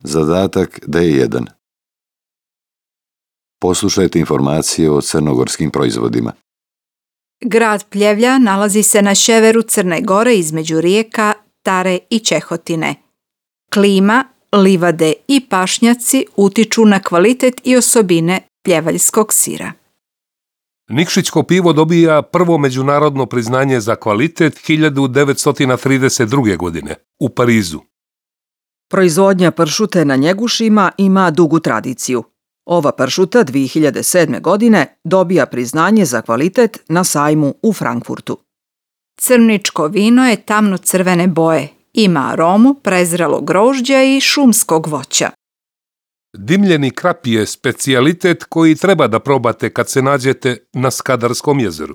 Zadatak D1. Poslušajte informacije o crnogorskim proizvodima. Grad Pljevlja nalazi se na sjeveru Crne Gore između rijeka Tare i Čehotine. Klima, livade i pašnjaci utiču na kvalitet i osobine pljevaljskog sira. Nikšićko pivo dobija prvo međunarodno priznanje za kvalitet 1932. godine u Parizu. Proizvodnja pršute na Njegušima ima dugu tradiciju. Ova pršuta 2007. godine dobija priznanje za kvalitet na sajmu u Frankfurtu. Crničko vino je tamno crvene boje. Ima aromu prezrelog grožđa i šumskog voća. Dimljeni krap je specijalitet koji treba da probate kad se nađete na Skadarskom jezeru.